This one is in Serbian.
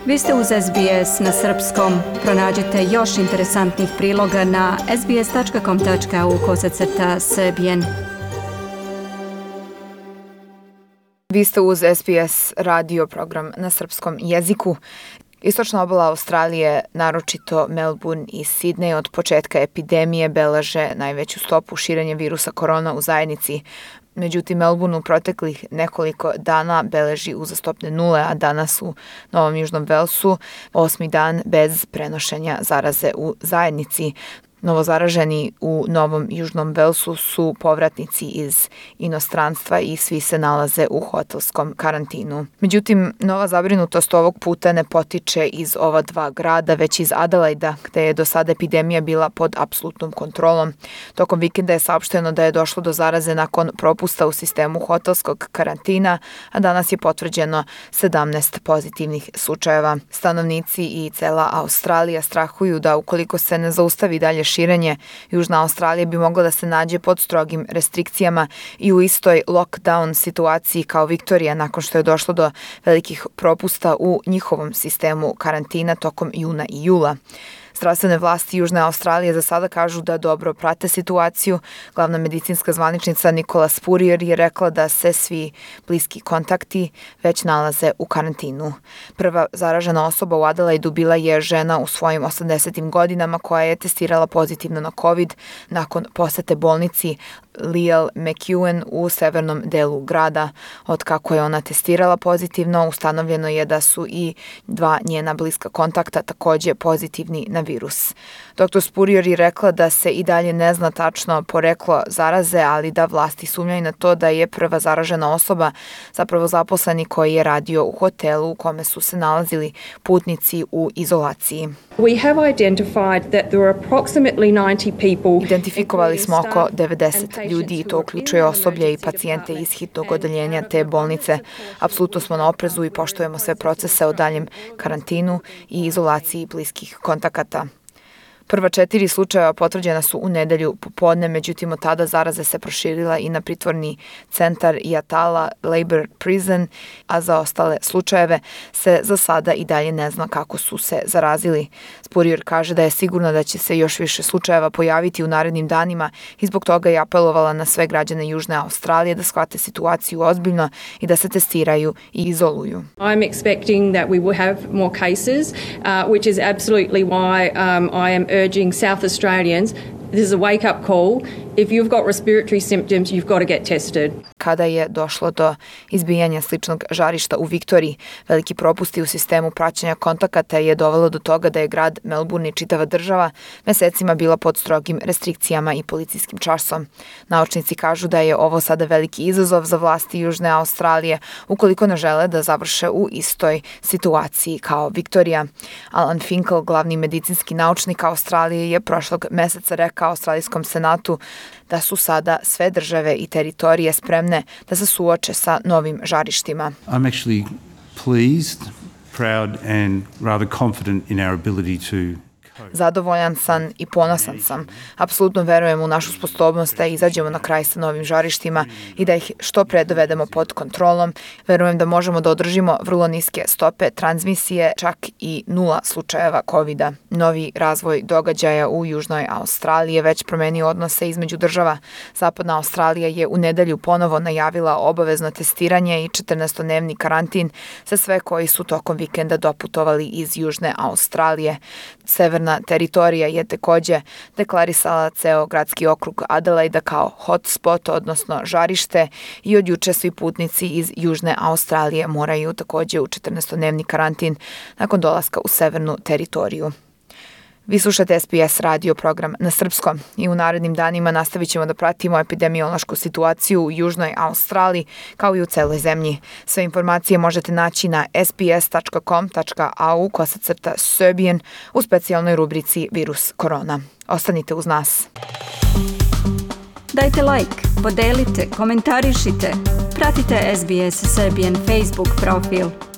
Vi ste uz SBS na srpskom. Pronađite još interesantnih priloga na sbs.com.au/serbian. Vi ste uz SBS radio program na srpskom jeziku. Istočna obala Australije, naročito Melbourne i Sydney, od početka epidemije beleže najveću stopu širenja virusa korona u zajednici. Međutim, Melbourne u proteklih nekoliko dana beleži uzastopne nule, a danas u Novom Južnom Velsu 8. dan bez prenošenja zaraze u zajednici. Novozaraženi u Novom Južnom Velsu su povratnici iz inostranstva i svi se nalaze u hotelskom karantinu. Međutim, nova zabrinutost ovog puta ne potiče iz ova dva grada, već iz Adelaida, gde je do sada epidemija bila pod apsolutnom kontrolom. Tokom vikenda je saopšteno da je došlo do zaraze nakon propusta u sistemu hotelskog karantina, a danas je potvrđeno 17 pozitivnih slučajeva. Stanovnici i cela Australija strahuju da ukoliko se ne zaustavi dalje širenje, Južna Australija bi mogla da se nađe pod strogim restrikcijama i u istoj lockdown situaciji kao Viktorija nakon što je došlo do velikih propusta u njihovom sistemu karantina tokom juna i jula. Zdravstvene vlasti Južne Australije za sada kažu da dobro prate situaciju. Glavna medicinska zvaničnica Nicola Spurrier je rekla da se svi bliski kontakti već nalaze u karantinu. Prva zaražena osoba u Adelaidu bila je žena u svojim 80. godinama koja je testirala pozitivno na COVID nakon posete bolnici Leal McEwen u severnom delu grada. Od kako je ona testirala pozitivno, ustanovljeno je da su i dva njena bliska kontakta takođe pozitivni na virus. Dr. Spurrier je rekla da se i dalje ne zna tačno poreklo zaraze, ali da vlasti sumnjaju na to da je prva zaražena osoba zapravo zaposleni koji je radio u hotelu u kome su se nalazili putnici u izolaciji. Identifikovali smo oko 90 ljudi i to uključuje osoblje i pacijente iz hitnog odeljenja te bolnice. Apsolutno smo na oprezu i poštujemo sve procese o daljem karantinu i izolaciji bliskih kontakata. Prva 4 slučajeva potvrđena su u nedelju popodne, međutim od tada zaraza se proširila i na pritvorni centar Yatala Labour Prison, a za ostale slučajeve se za sada i dalje ne zna kako su se zarazili. Spurrier kaže da je sigurno da će se još više slučajeva pojaviti u narednim danima i zbog toga je apelovala na sve građane Južne Australije da shvate situaciju ozbiljno i da se testiraju i izoluju. I'm expecting that we will have more cases, which is absolutely why I am urging South Australians, this is a wake-up call. If you've got respiratory symptoms, you've got to get tested. Kada je došlo do izbijanja sličnog žarišta u Viktoriji, veliki propusti u sistemu praćenja kontakata je dovelo do toga da je grad Melbourne i čitava država mesecima bila pod strogim restrikcijama i policijskim čarsom. Naučnici kažu da je ovo sada veliki izazov za vlasti Južne Australije ukoliko ne žele da završe u istoj situaciji kao Viktorija. Alan Finkel, glavni medicinski naučnik Australije, je prošlog meseca rekao Australijskom senatu da su sada sve države i teritorije spremne da se suoče sa novim žarištima. I'm actually pleased, proud and rather confident in our ability to Zadovoljan sam i ponosan sam. Apsolutno verujem u našu sposobnost da izađemo na kraj sa novim žarištima i da ih što pre dovedemo pod kontrolom. Verujem da možemo da održimo vrlo niske stope transmisije, čak i 0 slučajeva COVID-a. Novi razvoj događaja u Južnoj Australiji je već promenio odnose između država. Zapadna Australija je u nedelju ponovo najavila obavezno testiranje i 14-dnevni karantin za sve koji su tokom vikenda doputovali iz Južne Australije. Severna teritorija je takođe deklarisala ceo gradski okrug Adelaida kao hotspot, odnosno žarište, i od juče svi putnici iz Južne Australije moraju takođe u 14-dnevni karantin nakon dolaska u severnu teritoriju. Vi slušate SBS radio program na srpskom i u narednim danima nastavit ćemo da pratimo epidemiološku situaciju u Južnoj Australiji kao i u celoj zemlji. Sve informacije možete naći na sbs.com.au/serbian u specijalnoj rubrici Virus korona. Ostanite uz nas. Dajte like, podelite, komentarišite. Pratite SBS Serbian Facebook profil.